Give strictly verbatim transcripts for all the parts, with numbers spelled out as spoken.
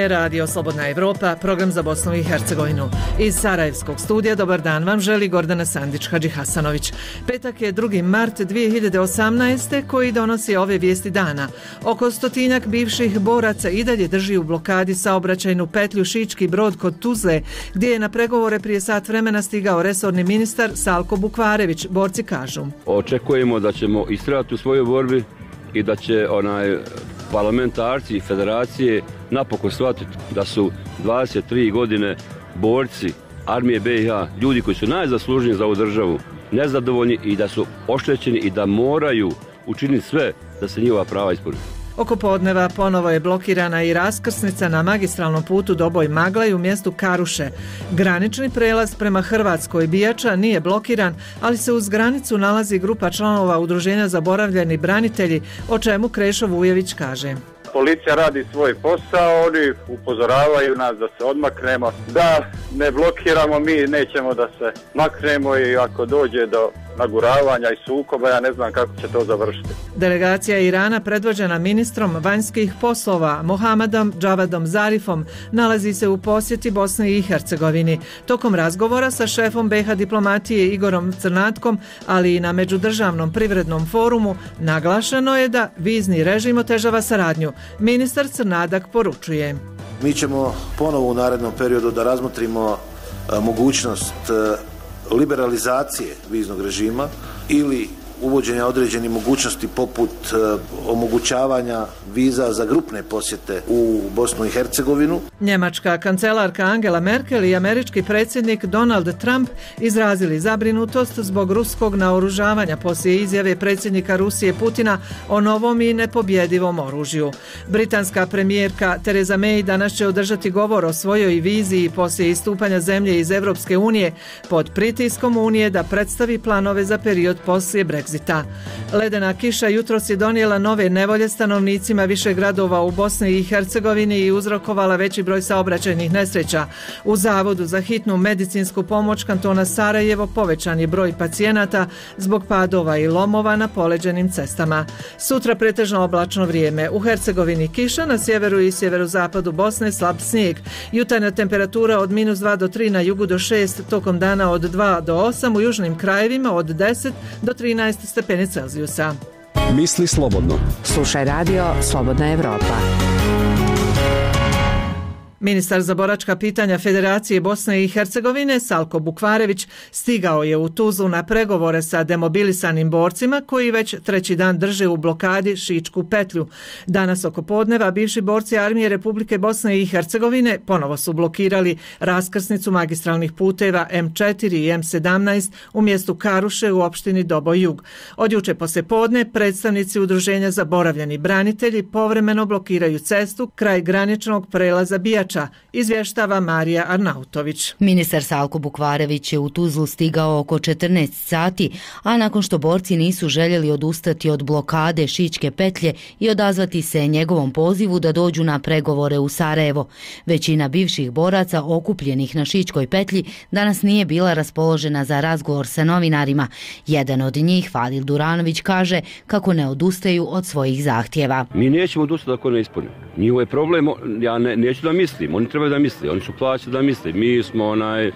je Radio Slobodna Evropa, program za Bosnu i Hercegovinu. Iz Sarajevskog studija dobar dan vam želi Gordana Sandić-Hadži Hasanović. Petak je drugi mart dvije hiljade osamnaeste. koji donosi ove vijesti dana. Oko stotinjak bivših boraca i dalje drži u blokadi saobraćajnu petlju Šički Brod kod Tuzle, gdje je na pregovore prije sat vremena stigao resorni ministar Salko Bukvarević. Borci kažu: očekujemo da ćemo istrajati u svojoj borbi i da će onaj parlamentarci i federacije napokon shvatiti da su dvadeset tri godine borci armije B i H, ljudi koji su najzaslužniji za ovu državu, nezadovoljni i da su oštećeni i da moraju učiniti sve da se njihova prava ispune. Oko podneva ponovo je blokirana i raskrsnica na magistralnom putu Doboj-Maglaj u mjestu Karuše. Granični prelaz prema Hrvatskoj Bijača nije blokiran, ali se uz granicu nalazi grupa članova Udruženja Zaboravljeni branitelji, o čemu Krešo Vujević kaže: policija radi svoj posao, oni upozoravaju nas da se odmaknemo, da ne blokiramo, mi nećemo da se maknemo i ako dođe do naguravanja i sukoba, ja ne znam kako će to završiti. Delegacija Irana predvođena ministrom vanjskih poslova Mohamedom Džavadom Zarifom nalazi se u posjeti Bosni i Hercegovini. Tokom razgovora sa šefom B i H diplomatije Igorom Crnatkom, ali i na međudržavnom privrednom forumu, naglašeno je da vizni režim otežava saradnju. Ministar Crnadak poručuje: mi ćemo ponovo u narednom periodu da razmotrimo a, mogućnost a, liberalizacije viznog režima ili uvođenja određenih mogućnosti poput uh, omogućavanja viza za grupne posjete u Bosnu i Hercegovinu. Njemačka kancelarka Angela Merkel i američki predsjednik Donald Trump izrazili zabrinutost zbog ruskog naoružavanja poslije izjave predsjednika Rusije Putina o novom i nepobjedivom oružju. Britanska premijerka Theresa May danas će održati govor o svojoj viziji poslije istupanja zemlje iz Evropske unije pod pritiskom Unije da predstavi planove za period poslije Brexita. Ledena kiša jutros je donijela nove nevolje stanovnicima više gradova u Bosni i Hercegovini i uzrokovala veći broj saobraćajnih nesreća. U Zavodu za hitnu medicinsku pomoć kantona Sarajevo povećan je broj pacijenata zbog padova i lomova na poleđenim cestama. Sutra pretežno oblačno vrijeme. U Hercegovini kiša, na sjeveru i sjeverozapadu Bosne slab snijeg. Jutarnja temperatura od minus dva do tri, na jugu do šest, tokom dana od dva do osam, u južnim krajevima od deset do trinaest stepeni Celzijusa. Misli slobodno. Slušaj radio Slobodna Evropa. Ministar za boračka pitanja Federacije Bosne i Hercegovine Salko Bukvarević stigao je u Tuzlu na pregovore sa demobilisanim borcima koji već treći dan drže u blokadi Šičku petlju. Danas oko podneva bivši borci armije Republike Bosne i Hercegovine ponovo su blokirali raskrsnicu magistralnih puteva M četiri i M sedamnaest u mjestu Karuše u opštini Doboj Jug. Od juče poslije podne predstavnici Udruženja Zaboravljeni branitelji povremeno blokiraju cestu kraj graničnog prelaza Bijača, izvještava Marija Arnautović. Ministar Salko Bukvarević je u Tuzlu stigao oko četrnaest sati, a nakon što borci nisu željeli odustati od blokade Šičke petlje i odazvati se njegovom pozivu da dođu na pregovore u Sarajevo. Većina bivših boraca okupljenih na Šičkoj petlji danas nije bila raspoložena za razgovor sa novinarima. Jedan od njih, Fadil Duranović, kaže kako ne odustaju od svojih zahtjeva. Mi nećemo odustati ako ne ispunimo. Njihov je problem, ja ne, neću da mislim, oni trebaju da misle, oni su plaćeni da misle. Mi smo onaj,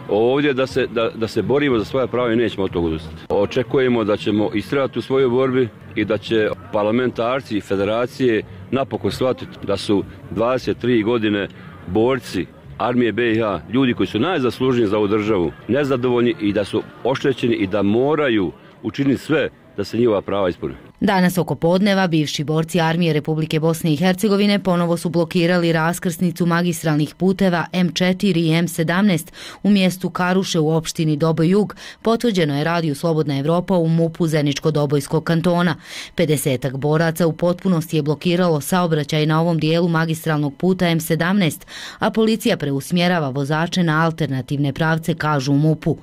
ovdje da se, da, da se borimo za svoje prava i nećemo od toga odustati. Očekujemo da ćemo istrajati u svojoj borbi i da će parlamentarci i federacije napokon shvatiti da su dvadeset tri godine borci armije B i H, ljudi koji su najzaslužniji za ovu državu, nezadovoljni i da su oštećeni i da moraju učiniti sve da se njihova prava ispune. Danas oko podneva bivši borci armije Republike Bosne i Hercegovine ponovo su blokirali raskrsnicu magistralnih puteva M četiri i M sedamnaest u mjestu Karuše u opštini Doboj Jug, potvrđeno je radiju Slobodna Evropa u MUP-u Zeničko-Dobojskog kantona. pedesetak boraca u potpunosti je blokiralo saobraćaj na ovom dijelu magistralnog puta M sedamnaest, a policija preusmjerava vozače na alternativne pravce, kažu u MUP-u.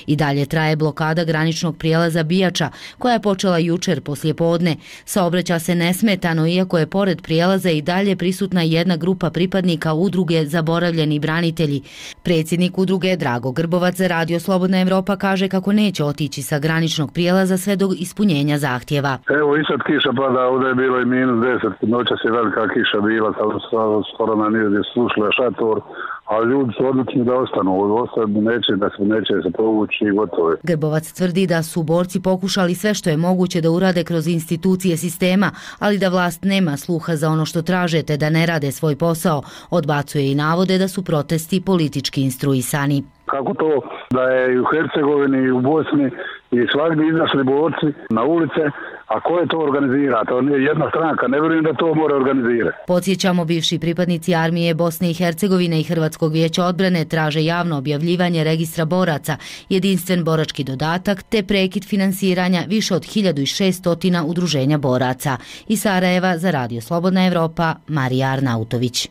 I dalje traje blokada graničnog prijelaza Bijača, koja je počela jučer poslije podne. Saobraća se nesmetano, iako je pored prijelaza i dalje prisutna jedna grupa pripadnika udruge Zaboravljeni branitelji. Predsjednik udruge Drago Grbovac za Radio Slobodna Evropa kaže kako neće otići sa graničnog prijelaza sve do ispunjenja zahtjeva. Evo i sad kiša pada, ovdje je bilo i minus deset, noća se velika kiša bila, skoro na nije slušala šator, a ljudi su odlučni da ostanu, ostanu neće da se neće se povući i gotovo je. Grbovac tvrdi da su borci pokušali sve što je moguće da urade kroz institucije sistema, ali da vlast nema sluha za ono što traže te da ne rade svoj posao. Odbacuje i navode da su protesti politički instruisani. Kako to da je i u Hercegovini i u Bosni i svagdje izašli borci na ulice, a ko je to organizira? To nije jedna stranka, ne vjerujem da to mora organizirati. Podsjećamo, bivši pripadnici armije Bosne i Hercegovine i Hrvatskog vijeća odbrane traže javno objavljivanje registra boraca, jedinstven borački dodatak te prekid finansiranja više od hiljadu šesto udruženja boraca. Iz Sarajeva za Radio Slobodna Evropa, Marija Arnautović.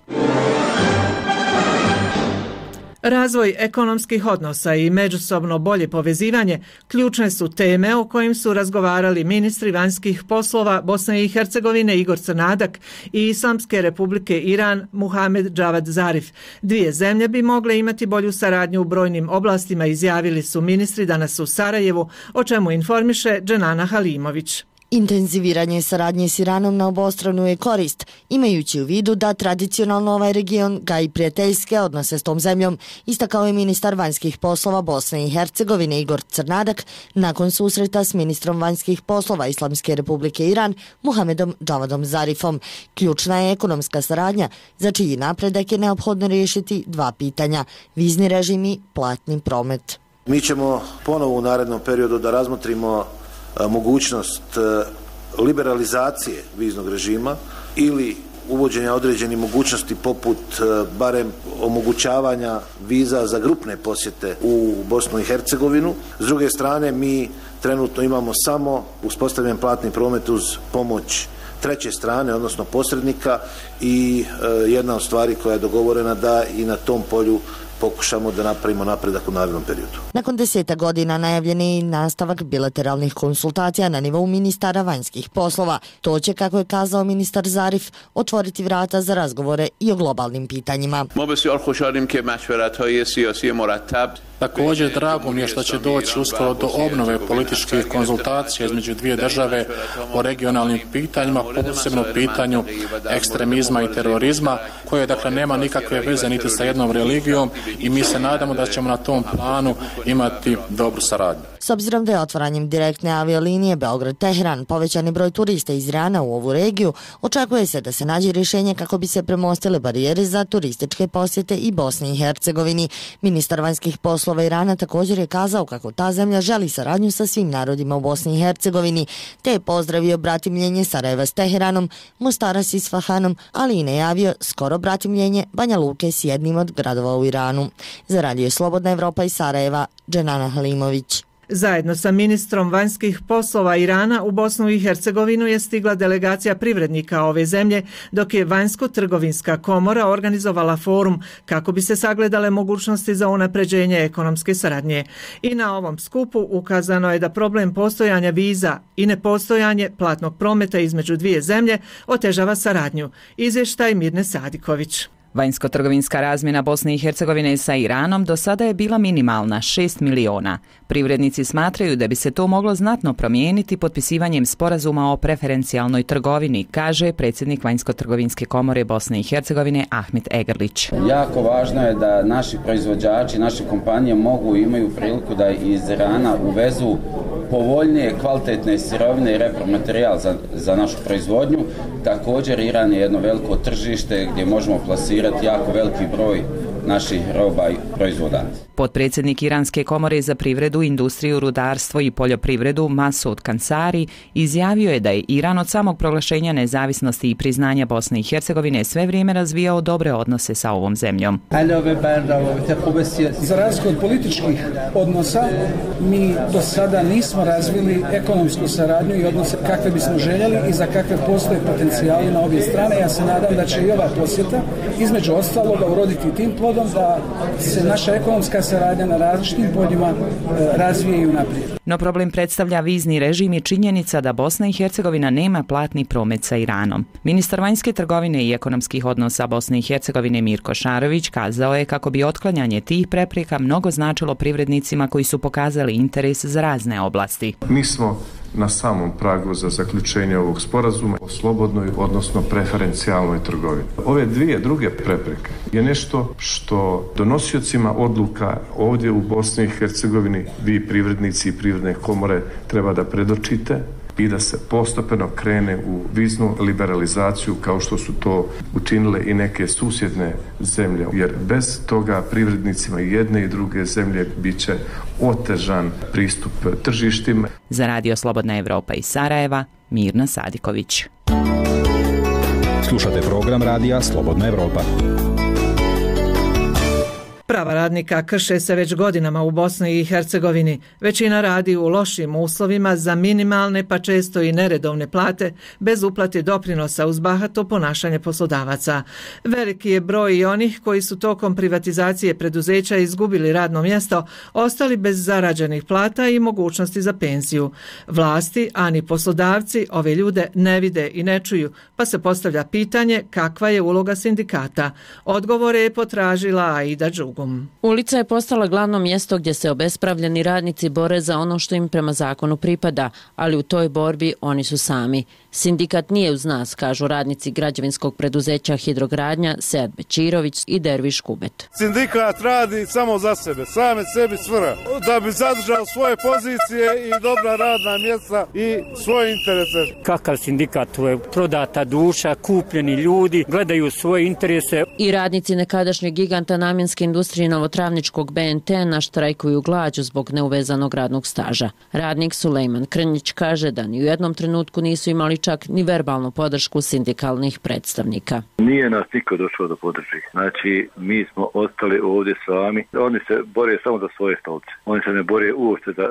Razvoj ekonomskih odnosa i međusobno bolje povezivanje ključne su teme o kojim su razgovarali ministri vanjskih poslova Bosne i Hercegovine Igor Crnadak i Islamske republike Iran Muhamed Javad Zarif. Dvije zemlje bi mogle imati bolju saradnju u brojnim oblastima, izjavili su ministri danas u Sarajevu, o čemu informiše Dženana Halimović. Intenziviranje saradnje s Iranom na obostranu je korist, imajući u vidu da tradicionalno ovaj region gaji prijateljske odnose s tom zemljom, istakao je ministar vanjskih poslova Bosne i Hercegovine Igor Crnadak nakon susreta s ministrom vanjskih poslova Islamske republike Iran Muhamedom Javadom Zarifom. Ključna je ekonomska saradnja, za čiji napredak je neophodno riješiti dva pitanja: vizni režim i platni promet. Mi ćemo ponovo u narednom periodu da razmotrimo mogućnost liberalizacije viznog režima ili uvođenja određenih mogućnosti poput barem omogućavanja viza za grupne posjete u Bosnu i Hercegovinu. S druge strane, mi trenutno imamo samo uspostavljen platni promet uz pomoć treće strane, odnosno posrednika, i jedna od stvari koja je dogovorena da i na tom polju pokušamo da napravimo napredak u narednom periodu. Nakon deseta godina najavljen je i nastavak bilateralnih konsultacija na nivou ministara vanjskih poslova. To će, kako je kazao ministar Zarif, otvoriti vrata za razgovore i o globalnim pitanjima. Također, drago mi je što će doći uskoro do obnove političkih konzultacija između dvije države o regionalnim pitanjima, posebno pitanju ekstremizma i terorizma, koje dakle nema nikakve veze niti sa jednom religijom, i mi se nadamo da ćemo na tom planu imati dobru saradnju. S obzirom da je otvaranjem direktne aviolinije Beograd-Teheran povećani broj turista iz Irana u ovu regiju, očekuje se da se nađe rješenje kako bi se premostile barijere za turističke posjete i Bosni i Hercegovini. Ministar vanjskih poslova Irana također je kazao kako ta zemlja želi saradnju sa svim narodima u Bosni i Hercegovini, te je pozdravio bratimljenje Sarajeva s Teheranom, Mostara s Isfahanom, ali i najavio skoro bratimljenje Banja Luke s jednim od gradova u Iranu. Za Radio Slobodna Evropa iz Sarajeva, Dženana Halimović. Zajedno sa ministrom vanjskih poslova Irana u Bosnu i Hercegovinu je stigla delegacija privrednika ove zemlje, dok je Vanjsko-trgovinska komora organizovala forum kako bi se sagledale mogućnosti za unapređenje ekonomske saradnje. I na ovom skupu ukazano je da problem postojanja viza i nepostojanje platnog prometa između dvije zemlje otežava saradnju. Izvještaj Mirne Sadiković. Vanjsko-trgovinska razmjena Bosne i Hercegovine sa Iranom do sada je bila minimalna, šest miliona. Privrednici smatraju da bi se to moglo znatno promijeniti potpisivanjem sporazuma o preferencijalnoj trgovini, kaže predsjednik Vanjsko-trgovinske komore Bosne i Hercegovine Ahmet Egerlić. Jako važno je da naši proizvođači, naše kompanije mogu i imaju priliku da iz Irana uvezu povoljnije, kvalitetne sirovine i repromaterijal za, za našu proizvodnju. Također, Iran je jedno veliko tržište gdje možemo plasirati jako veliki broj naših roba i proizvoda. Potpredsjednik Iranske komore za privredu, industriju, rudarstvo i poljoprivredu Masoud Kansari izjavio je da je Iran od samog proglašenja nezavisnosti i priznanja Bosne i Hercegovine sve vrijeme razvijao dobre odnose sa ovom zemljom. Za razliku od političkih odnosa, mi do sada nismo razvili ekonomsku saradnju i odnose kakve bismo željeli i za kakve postoje potencijali na obje strane. Ja se nadam da će i ova posjeta između ostaloga uroditi tim plodom da se naša ekonomska saradnja na različitim poljima razvije i unaprijed. No problem predstavlja vizni režim i činjenica da Bosna i Hercegovina nema platni promet sa Iranom. Ministar vanjske trgovine i ekonomskih odnosa Bosne i Hercegovine Mirko Šarović kazao je kako bi otklanjanje tih prepreka mnogo značilo privrednicima koji su pokazali interes za razne oblasti. Mi smo na samom pragu za zaključenje ovog sporazuma o slobodnoj, odnosno preferencijalnoj trgovini. Ove dvije druge prepreke je nešto što donosiocima odluka ovdje u Bosni i Hercegovini, vi privrednici i privredne komore, treba da predočite i da se postepeno krene u viznu liberalizaciju kao što su to učinile i neke susjedne zemlje, jer bez toga privrednicima jedne i druge zemlje bit će otežan pristup tržištima. Za Radio Slobodna Evropa iz Sarajeva, Mirna Sadiković. Slušate program Radija Slobodna Evropa. Prava radnika krše se već godinama u Bosni i Hercegovini. Većina radi u lošim uslovima za minimalne pa često i neredovne plate, bez uplate doprinosa uz bahato ponašanje poslodavaca. Veliki je broj i onih koji su tokom privatizacije preduzeća izgubili radno mjesto, ostali bez zarađenih plata i mogućnosti za penziju. Vlasti, a ni poslodavci ove ljude ne vide i ne čuju, pa se postavlja pitanje kakva je uloga sindikata. Odgovore je potražila Aida Đugum. Ulica je postala glavno mjesto gdje se obespravljeni radnici bore za ono što im prema zakonu pripada, ali u toj borbi oni su sami. Sindikat nije uz nas, kažu radnici građevinskog preduzeća Hidrogradnja, Sead Bečirović i Derviš Kubet. Sindikat radi samo za sebe, same sebi svrha, da bi zadržao svoje pozicije i dobra radna mjesta i svoje interese. Kakav sindikat, to je prodata duša, kupljeni ljudi, gledaju svoje interese. I radnici nekadašnjeg giganta namjenske industrije Novotravničkog B N T naštrajkuju glađu zbog neuvezanog radnog staža. Radnik Sulejman Krnjić kaže da ni u jednom trenutku nisu imali čak ni verbalnu podršku sindikalnih predstavnika. Nije nas niko došao da podrži. Znači, mi smo ostali ovdje sami. Oni se bore samo za svoje stolce. Oni se ne bore uopšte za,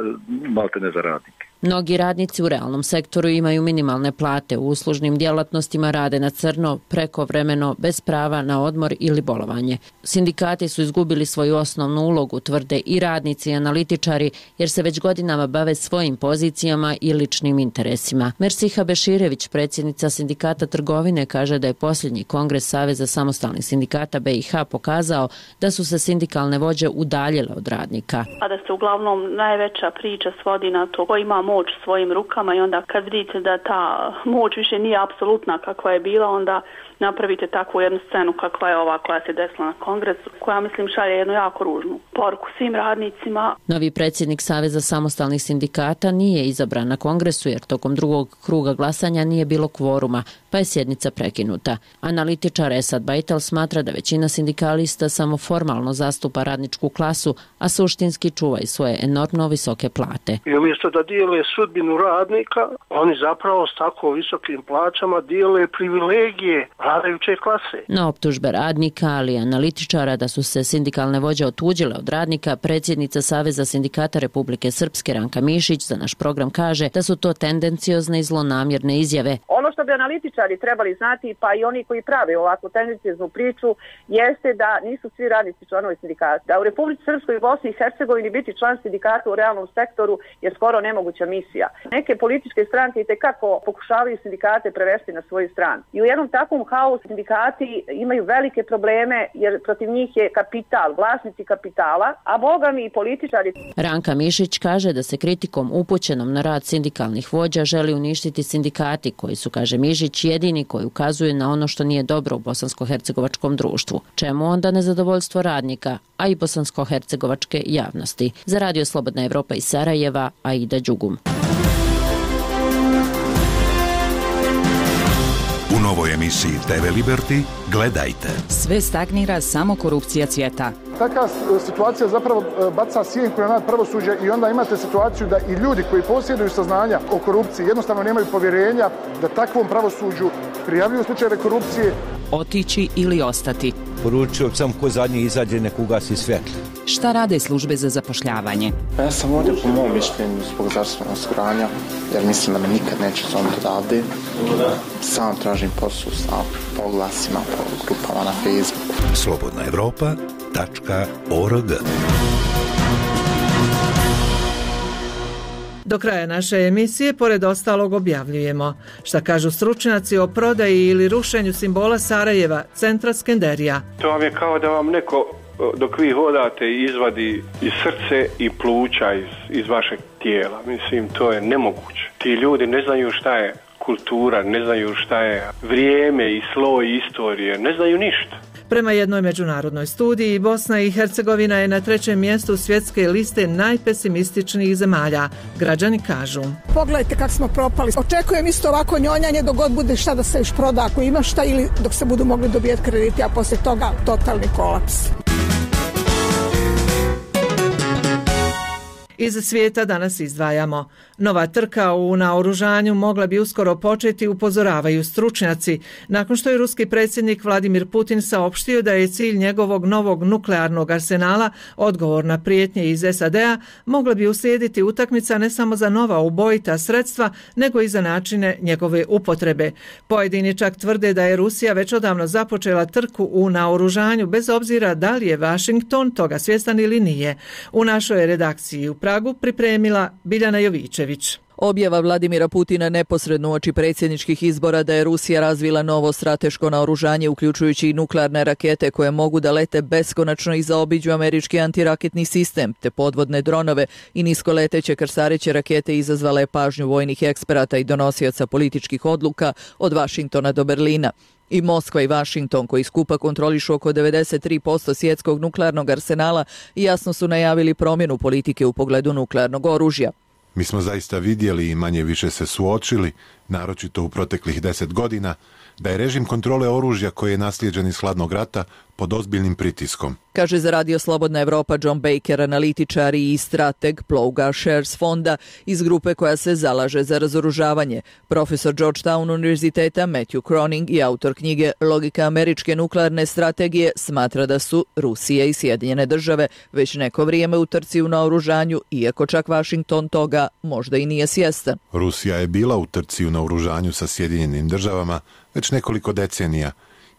malte ne za radnike. Mnogi radnici u realnom sektoru imaju minimalne plate, u uslužnim djelatnostima rade na crno, prekovremeno, bez prava na odmor ili bolovanje. Sindikati su izgubili svoju osnovnu ulogu, tvrde i radnici i analitičari, jer se već godinama bave svojim pozicijama i ličnim interesima. Mersiha Beširević, predsjednica sindikata trgovine, kaže da je posljednji kongres Saveza samostalnih sindikata B i H pokazao da su se sindikalne vođe udaljile od radnika. A da se uglavnom najveća priča svodi na to ko ima moć svojim rukama i onda kad vidite da ta moć više nije apsolutna kakva je bila, onda napravite takvu jednu scenu kakva je ova koja se desila na kongresu, koja mislim šalje jednu jako ružnu poruku svim radnicima. Novi predsjednik Saveza samostalnih sindikata nije izabran na kongresu jer tokom drugog kruga glasanja nije bilo kvoruma, pa je sjednica prekinuta. Analitičar Esad Bajtal smatra da većina sindikalista samo formalno zastupa radničku klasu, a suštinski čuva i svoje enormno visoke plate. I umjesto da dijele sudbinu radnika, oni zapravo s tako visokim plaćama dijele privilegije vladajuće klase. Na optužbe radnika, ali i analitičara da su se sindikalne vođe otuđile od radnika, predsjednica Saveza sindikata Republike Srpske Ranka Mišić za naš program kaže da su to tendenciozne i zlonamjerne izjave. Ono što bi analitičari trebali znati, pa i oni koji prave ovakvu tendencioznu priču, jeste da nisu svi radnici članovi sindikata. Da u Republici Srpskoj i Bosni i Hercegovini biti član sindikata u realnom sektoru je skoro nemoguća misija. Neke političke stranke i tekako pokušavaju sindikate prevesti na svoju stranu. I u jednom takvom haosu sindikati imaju velike probleme jer protiv njih je kapital, vlasnici kapitala, a bogami i političari. Ranka Mišić kaže da se kritikom upućenom na rad sindikalnih vođa želi uništiti sindikati koji su, kaže Mišić, jedini koji ukazuju na ono što nije dobro u bosansko-hercegovačkom društvu. Čemu onda nezadovoljstvo radnika, a i bosansko-hercegovačke javnosti? Za Radio Slobodna Evropa iz Sarajeva, Aida Đugum. U novoj emisiji T V Liberty gledajte. Sve stagnira, samo korupcija cvjeta. Taka situacija zapravo baca sjenku na nad pravosuđe i onda imate situaciju da i ljudi koji posjeduju saznanja o korupciji jednostavno nemaju povjerenja da takvom pravosuđu prijavljuju slučajeve korupcije. Otići ili ostati. Poručio sam ko zadnji izađe nek ugasi svjetlo. Šta rade službe za zapošljavanje? Ja sam ovdje po mom mišljenju zbog zdravstvenog osiguranja, jer mislim da me nikad neće zovnuti odavde. Sam tražim posao sa oglasima po grupama na Facebooku. Slobodna Evropa tačka org. Do kraja naše emisije, pored ostalog, objavljujemo šta kažu stručnjaci o prodaji ili rušenju simbola Sarajeva, centra Skenderija. To vam je kao da vam neko, dok vi hodate, izvadi iz srce i pluća iz, iz vašeg tijela. Mislim, to je nemoguće. Ti ljudi ne znaju šta je kultura, ne znaju šta je vrijeme i sloj istorije, ne znaju ništa. Prema jednoj međunarodnoj studiji, Bosna i Hercegovina je na trećem mjestu svjetske liste najpesimističnijih zemalja. Građani kažu: pogledajte kako smo propali. Očekujem isto ovako njonjanje dok god bude šta da se još proda ako ima šta, ili dok se budu mogli dobijeti krediti, a poslije toga totalni kolaps. Iz svijeta danas izdvajamo. Nova trka u naoružanju mogla bi uskoro početi, upozoravaju stručnjaci, nakon što je ruski predsjednik Vladimir Putin saopštio da je cilj njegovog novog nuklearnog arsenala odgovor na prijetnje iz S A D-a, mogla bi uslijediti utakmica ne samo za nova ubojita sredstva, nego i za načine njegove upotrebe. Pojedini čak tvrde da je Rusija već odavno započela trku u naoružanju, bez obzira da li je Washington toga svjestan ili nije. U našoj redakciji u Pragu pripremila Biljana Jovićević. Objava Vladimira Putina neposredno uoči predsjedničkih izbora da je Rusija razvila novo strateško naoružanje, uključujući i nuklearne rakete koje mogu da lete beskonačno i zaobiđu američki antiraketni sistem, te podvodne dronove i niskoleteće krstareće rakete, izazvala je pažnju vojnih eksperata i donosioca političkih odluka od Vašingtona do Berlina. I Moskva i Washington, koji skupa kontrolišu oko devedeset tri posto svjetskog nuklearnog arsenala, jasno su najavili promjenu politike u pogledu nuklearnog oružja. Mi smo zaista vidjeli i manje više se suočili, naročito u proteklih deset godina, da je režim kontrole oružja koji je naslijeđen iz hladnog rata pod ozbiljnim pritiskom. Kaže za Radio Slobodna Evropa John Baker, analitičar i strateg Plouga Shares fonda iz grupe koja se zalaže za razoružavanje. Profesor Georgetown univerziteta Matthew Croning i autor knjige Logika američke nuklearne strategije smatra da su Rusija i Sjedinjene države već neko vrijeme u trci u naoružanju, iako čak Washington toga možda i nije svjestan. Rusija je bila u trci u naoružanju sa Sjedinjenim državama već nekoliko decenija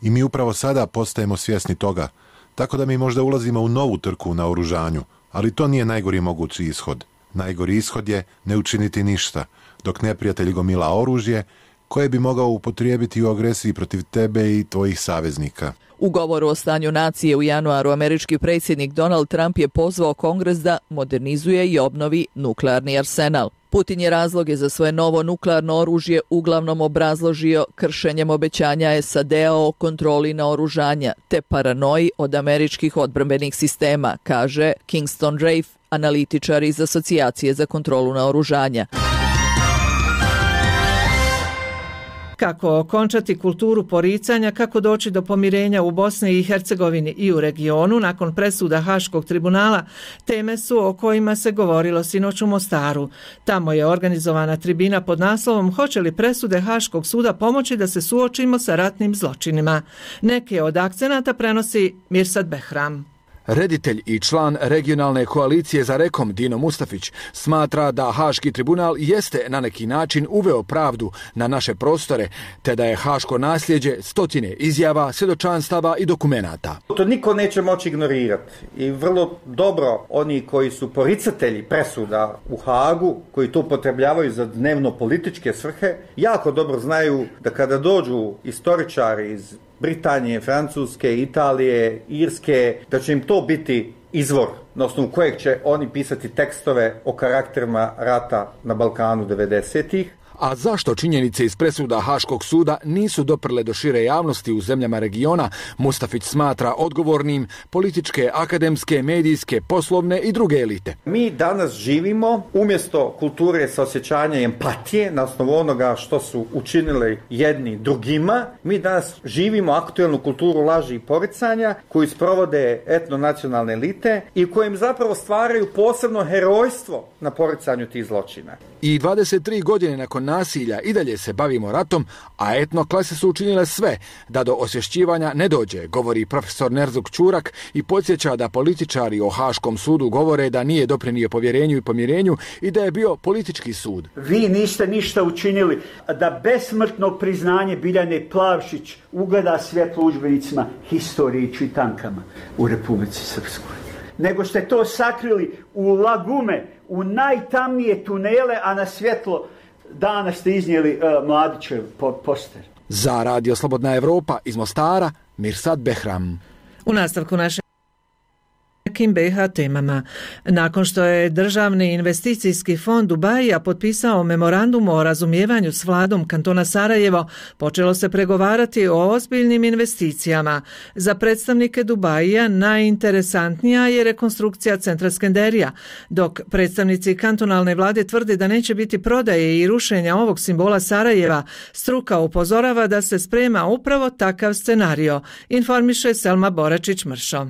i mi upravo sada postajemo svjesni toga, tako da mi možda ulazimo u novu trku u naoružanju, ali to nije najgori mogući ishod. Najgori ishod je ne učiniti ništa, dok neprijatelj gomila oružje koje bi mogao upotrijebiti u agresiji protiv tebe i tvojih saveznika. U govoru o stanju nacije u januaru američki predsjednik Donald Trump je pozvao Kongres da modernizuje i obnovi nuklearni arsenal. Putin je razloge za svoje novo nuklearno oružje uglavnom obrazložio kršenjem obećanja S A D-a o kontroli naoružanja te paranoji od američkih odbrambenih sistema, kaže Kingston Rafe, analitičar iz Asocijacije za kontrolu naoružanja. Kako okončati kulturu poricanja, kako doći do pomirenja u Bosni i Hercegovini i u regionu nakon presuda Haškog tribunala, teme su o kojima se govorilo sinoć u Mostaru. Tamo je organizovana tribina pod naslovom Hoće li presude Haškog suda pomoći da se suočimo sa ratnim zločinima? Neke od akcenata prenosi Mirsad Behram. Reditelj i član regionalne koalicije za Rekom Dino Mustafić smatra da Haški tribunal jeste na neki način uveo pravdu na naše prostore, te da je haško nasljeđe stotine izjava, svjedočanstava i dokumenata. To niko neće moći ignorirati i vrlo dobro oni koji su poricatelji presuda u Hagu, koji to upotrebljavaju za dnevno političke svrhe, jako dobro znaju da kada dođu istoričari iz Britanije, Francuske, Italije, Irske, da će im to biti izvor na osnovu kojeg će oni pisati tekstove o karakterima rata na Balkanu devedesetih. A zašto činjenice iz presuda Haškog suda nisu doprle do šire javnosti u zemljama regiona, Mustafić smatra odgovornim političke, akademske, medijske, poslovne i druge elite. Mi danas živimo umjesto kulture saosjećanja i empatije na osnovu onoga što su učinili jedni drugima. Mi danas živimo aktuelnu kulturu laži i poricanja koju sprovode etnonacionalne elite i kojim zapravo stvaraju posebno herojstvo na poricanju tih zločina. I dvadeset tri godine nakon nasilja i dalje se bavimo ratom, a etno klase su učinile sve da do osvješćivanja ne dođe, govori profesor Nerzuk Čurak i podsjeća da političari o Haškom sudu govore da nije doprinio povjerenju i pomirenju i da je bio politički sud. Vi niste ništa učinili da besmrtno priznanje Biljane Plavšić ugleda svjetlo udžbenicima historije i čitankama u Republici Srpskoj. Nego ste to sakrili u lagume, u najtamnije tunele, a na svjetlo dana ste iznijeli uh, Mladićev poster. Za Radio Slobodna Evropa iz Mostara, Mirsad Behram. U nastavku naše nekim B i H temama. Nakon što je Državni investicijski fond Dubaija potpisao memorandum o razumijevanju s vladom kantona Sarajevo, počelo se pregovarati o ozbiljnim investicijama. Za predstavnike Dubaija najinteresantnija je rekonstrukcija centra Skenderija, dok predstavnici kantonalne vlade tvrde da neće biti prodaje i rušenja ovog simbola Sarajeva. Struka upozorava da se sprema upravo takav scenario, informiše Selma Boračić-Mršo.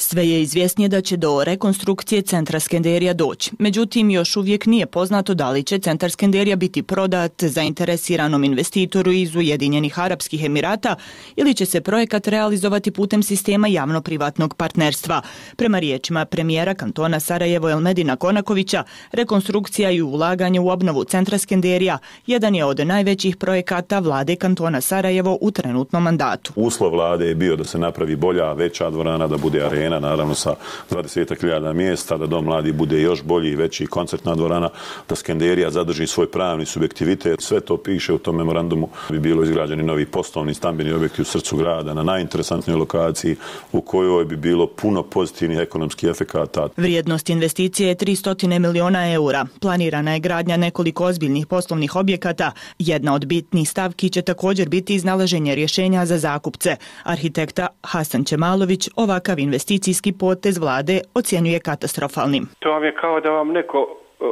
Sve je izvjesnije da će do rekonstrukcije centra Skenderija doći. Međutim, još uvijek nije poznato da li će centar Skenderija biti prodat zainteresiranom investitoru iz Ujedinjenih Arapskih Emirata ili će se projekat realizovati putem sistema javno-privatnog partnerstva. Prema riječima premijera kantona Sarajevo Elmedina Konakovića, rekonstrukcija i ulaganje u obnovu centra Skenderija jedan je od najvećih projekata vlade kantona Sarajevo u trenutnom mandatu. Uslov vlade je bio da se napravi bolja, veća dvorana, da bude arena, naravno sa dvadeset hiljada mjesta, da Dom mladih bude još bolji i veći koncertna dvorana, da Skenderija zadrži svoj pravni subjektivitet. Sve to piše u tom memorandumu. Bi bilo izgrađeni novi poslovni stambeni objekti u srcu grada na najinteresantnijoj lokaciji u kojoj bi bilo puno pozitivnih ekonomskih efekata. Vrijednost investicije je tristo miliona eura. Planirana je gradnja nekoliko ozbiljnih poslovnih objekata. Jedna od bitnih stavki će također biti iznalaženje rješenja za zakupce. Arhitekta Hasan Čemalović ovakav investicijski potez vlade ocjenjuje katastrofalnim. To vam je kao da vam neko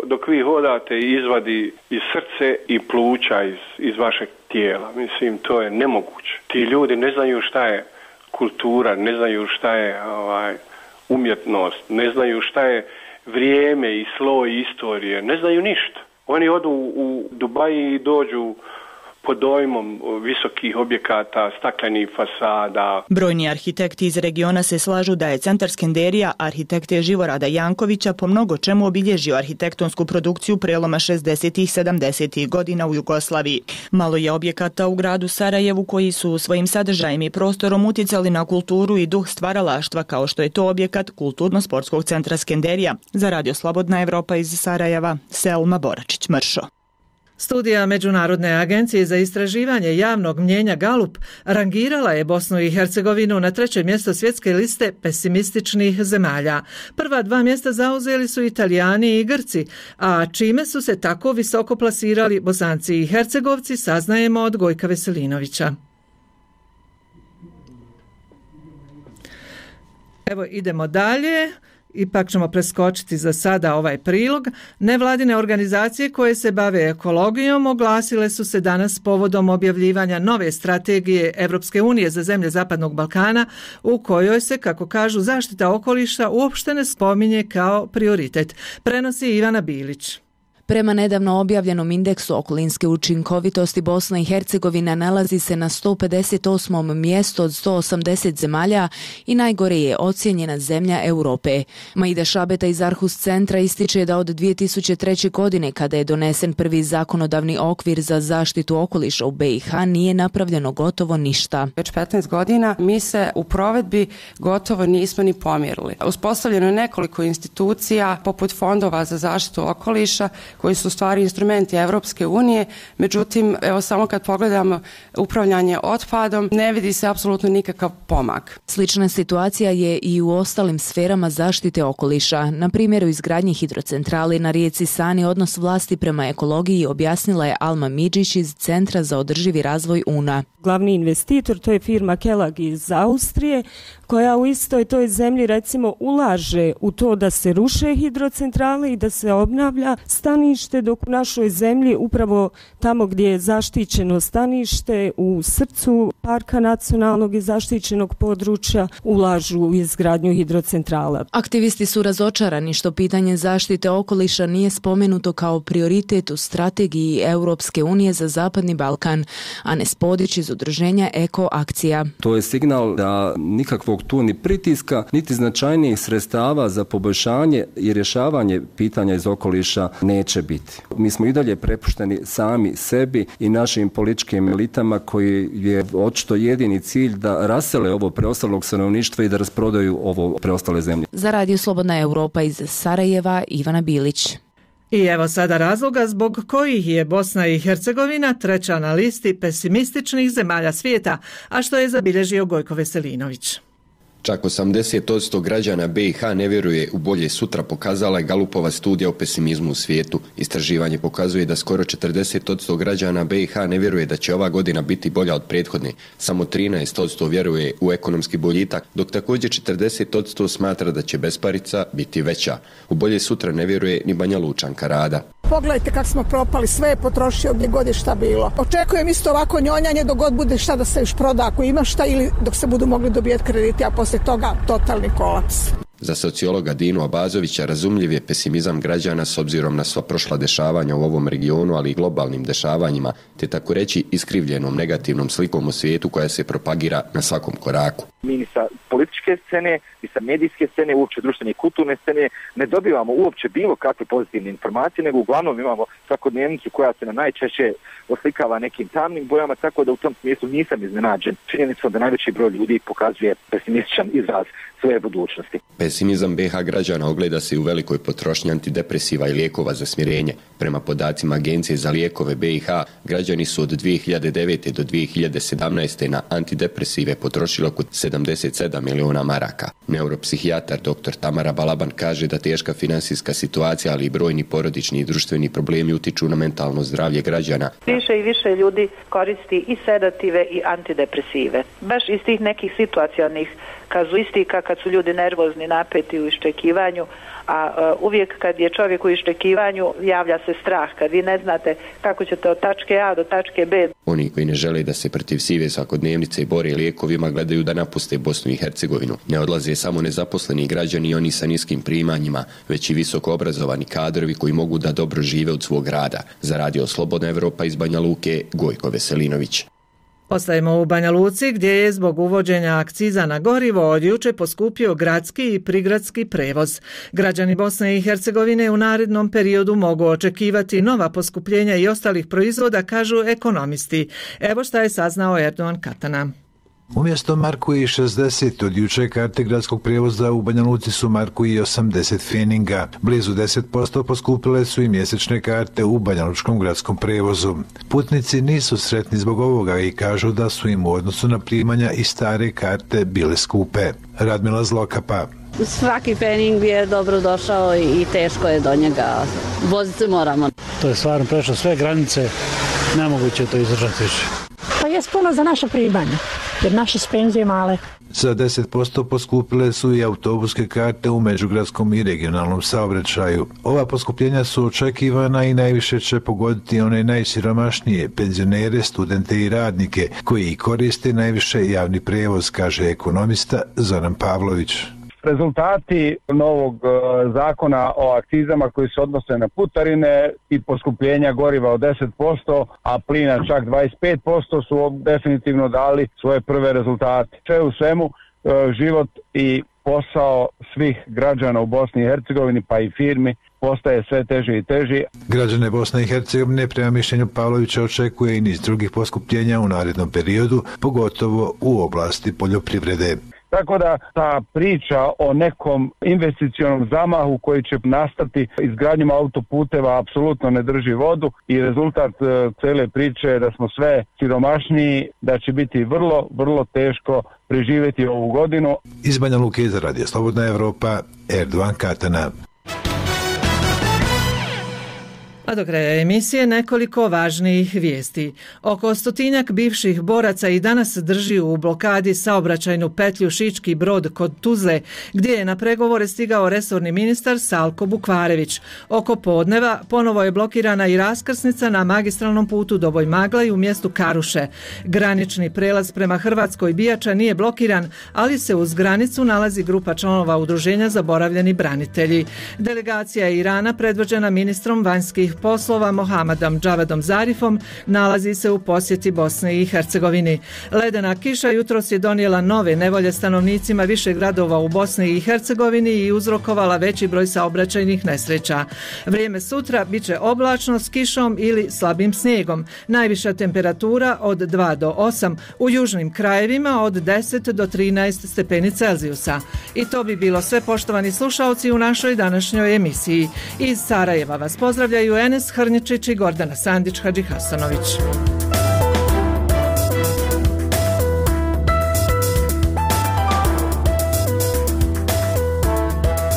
dok vi hodate izvadi iz srce i pluća iz, iz vašeg tijela. Mislim, to je nemoguće. Ti ljudi ne znaju šta je kultura, ne znaju šta je ovaj, umjetnost, ne znaju šta je vrijeme i sloj istorije, ne znaju ništa. Oni odu u Dubaji i dođu pod dojmom visokih objekata, staklenih fasada. Brojni arhitekti iz regiona se slažu da je centar Skenderija arhitekte Živorada Jankovića po mnogo čemu obilježio arhitektonsku produkciju preloma šezdesetih i sedamdesetih godina u Jugoslaviji. Malo je objekata u gradu Sarajevu koji su svojim sadržajem i prostorom utjecali na kulturu i duh stvaralaštva, kao što je to objekat Kulturno-sportskog centra Skenderija. Za Radio Slobodna Evropa iz Sarajeva, Selma Boračić-Mršo. Studija Međunarodne agencije za istraživanje javnog mnjenja Galup rangirala je Bosnu i Hercegovinu na treće mjesto svjetske liste pesimističnih zemalja. Prva dva mjesta zauzeli su Italijani i Grci, a čime su se tako visoko plasirali Bosanci i Hercegovci saznajemo od Gojka Veselinovića. Evo idemo dalje. Ipak ćemo preskočiti za sada ovaj prilog. Nevladine organizacije koje se bave ekologijom oglasile su se danas povodom objavljivanja nove strategije Evropske unije za zemlje Zapadnog Balkana, u kojoj se, kako kažu, zaštita okoliša uopšte ne spominje kao prioritet. Prenosi Ivana Bilić. Prema nedavno objavljenom indeksu okolinske učinkovitosti, Bosna i Hercegovina nalazi se na sto pedeset osmom mjestu od sto osamdeset zemalja i najgore je ocijenjena zemlja Europe. Maida Šabeta iz Arhus centra ističe da od dvije tisuće treće. godine, kada je donesen prvi zakonodavni okvir za zaštitu okoliša u B i H, nije napravljeno gotovo ništa. Već petnaest godina mi se u provedbi gotovo nismo ni pomjerili. Uspostavljeno je nekoliko institucija poput fondova za zaštitu okoliša koji su stvari instrumenti Evropske unije, međutim, evo samo kad pogledamo upravljanje otpadom, ne vidi se apsolutno nikakav pomak. Slična situacija je i u ostalim sferama zaštite okoliša. Na primjer, u izgradnji hidrocentrale na rijeci Sani odnos vlasti prema ekologiji objasnila je Alma Midžić iz Centra za održivi razvoj U N A. Glavni investitor, to je firma Kelag iz Austrije, koja u istoj toj zemlji recimo ulaže u to da se ruše hidrocentrale i da se obnavlja stanište, dok u našoj zemlji upravo tamo gdje je zaštićeno stanište u srcu parka nacionalnog i zaštićenog područja ulažu u izgradnju hidrocentrala. Aktivisti su razočarani što pitanje zaštite okoliša nije spomenuto kao prioritet u strategiji Europske unije za Zapadni Balkan, a ne Spodić iz udruženja Eko Akcija. To je signal da nikakvog tu ni pritiska, niti značajnijih sredstava za poboljšanje i rješavanje pitanja iz okoliša neće biti. Mi smo i dalje prepušteni sami sebi i našim političkim elitama koji je očito jedini cilj da rasele ovo preostalog stanovništva i da rasprodaju ovo preostale zemlje. Za Radio Slobodna Europa iz Sarajeva, Ivana Bilić. I evo sada razloga zbog kojih je Bosna i Hercegovina treća na listi pesimističnih zemalja svijeta, a što je zabilježio Gojko Veselinović. Čak osamdeset posto građana B i H ne vjeruje u bolje sutra, pokazala je Galupova studija o pesimizmu u svijetu. Istraživanje pokazuje da skoro četrdeset posto građana B i H ne vjeruje da će ova godina biti bolja od prethodne. Samo trinaest posto vjeruje u ekonomski boljitak, dok također četrdeset posto smatra da će besparica biti veća. U bolje sutra ne vjeruje ni Banja Lučanka Rada. Pogledajte kako smo propali, sve je potrošio gdje god je šta bilo. Očekujem isto ovako njonjanje dok god bude šta da se još proda ako ima šta ili dok se budu mogli dobijeti krediti, a poslije toga totalni kolaps. Za sociologa Dinu Abazovića razumljiv je pesimizam građana s obzirom na sva prošla dešavanja u ovom regionu, ali i globalnim dešavanjima, te tako reći iskrivljenom negativnom slikom u svijetu koja se propagira na svakom koraku. Mi ni sa političke scene, ni sa medijske scene, uopće društvene i kulturne scene ne dobivamo uopće bilo kakve pozitivne informacije, nego uglavnom imamo svakodnevnicu koja se na najčešće oslikava nekim tamnim bojama, tako da u tom smislu nisam iznenađen činjenicom da najveći broj ljudi pokazuje pesimističan izraz svoje budućnosti. Pesimizam B i H građana ogleda se u velikoj potrošnji antidepresiva i lijekova za smirenje. Prema podacima Agencije za lijekove B i H, građani su od dvije hiljade devete. do dvije hiljade sedamnaeste. na antidepresive potrošili oko sedamdeset sedam miliona maraka. Neuropsihijatar dr. Tamara Balaban kaže da teška financijska situacija, ali i brojni porodični i društveni problemi utiču na mentalno zdravlje građana. Više i više ljudi koristi i sedative i antidepresive. Baš iz tih nekih situacionih kazuistika kad su ljudi nervozni, napeti u iščekivanju, a uh, uvijek kad je čovjek u iščekivanju javlja se strah, kad vi ne znate kako ćete od tačke A do tačke B. Oni koji ne žele da se protiv sive svakodnevnice bore lijekovima gledaju da napuste Bosnu i Hercegovinu. Ne odlaze samo nezaposleni građani i oni sa niskim primanjima, već i visoko obrazovani kadrovi koji mogu da dobro žive od svog rada. Za Radio Slobodna Evropa iz Banja Luke, Gojko Veselinović. Ostajemo u Banja Luci gdje je zbog uvođenja akciza na gorivo od juče poskupio gradski i prigradski prevoz. Građani Bosne i Hercegovine u narednom periodu mogu očekivati nova poskupljenja i ostalih proizvoda, kažu ekonomisti. Evo šta je saznao Erdogan Katana. Umjesto marku i šezdeset od juče karte gradskog prijevoza u Banja Luci su marku i osamdeset feninga. Blizu deset posto poskupile su i mjesečne karte u banjalučkom gradskom prijevozu. Putnici nisu sretni zbog ovoga i kažu da su im u odnosu na primanja i stare karte bile skupe. Radmila Zlokapa. Svaki fening je dobro došao i teško je do njega. Voziti se moramo. To je stvarno prešlo sve granice, nemoguće to izdržati više. Pa je puno za naše primanja, jer naše penzije male. Za deset posto poskupile su i autobuske karte u međugradskom i regionalnom saobraćaju. Ova poskupljenja su očekivana i najviše će pogoditi one najsiromašnije, penzionere, studente i radnike, koji koriste najviše javni prijevoz, kaže ekonomista Zoran Pavlović. Rezultati novog uh, zakona o akcizama koji se odnose na putarine i poskupljenja goriva od deset posto, a plina čak dvadeset pet posto su definitivno dali svoje prve rezultate. Sve u svemu uh, život i posao svih građana u Bosni i Hercegovini pa i firmi postaje sve teži i teži. Građane Bosne i Hercegovine prema mišljenju Pavlovića očekuje i niz drugih poskupljenja u narednom periodu, pogotovo u oblasti poljoprivrede. Tako da ta priča o nekom investicionom zamahu koji će nastati izgradnjom autoputeva apsolutno ne drži vodu i rezultat e, cele priče je da smo sve siromašniji, da će biti vrlo, vrlo teško preživjeti ovu godinu. Iz Banja Luke za Radio Slobodna Evropa, Erdogan Katana. A do kraja emisije nekoliko važnijih vijesti. Oko stotinjak bivših boraca i danas drži u blokadi saobraćajnu petlju Šički Brod kod Tuzle, gdje je na pregovore stigao resorni ministar Salko Bukvarević. Oko podneva ponovo je blokirana i raskrsnica na magistralnom putu Doboj Maglaj u mjestu Karuše. Granični prelaz prema Hrvatskoj Bijača nije blokiran, ali se uz granicu nalazi grupa članova udruženja Zaboravljeni branitelji. Delegacija Irana predvođena ministrom vanjskih poslova Mohamedom Džavedom Zarifom nalazi se u posjeti Bosne i Hercegovini. Ledena kiša jutros je donijela nove nevolje stanovnicima više gradova u Bosni i Hercegovini i uzrokovala veći broj saobraćajnih nesreća. Vrijeme sutra bit će oblačno s kišom ili slabim snijegom. Najviša temperatura od dva do osam, u južnim krajevima od deset do trinaest stepeni Celzijusa. I to bi bilo sve, poštovani slušaoci, u našoj današnjoj emisiji. Iz Sarajeva vas pozdravljaju Enes Hrničić i Gordana Sandić Hadžihasanović.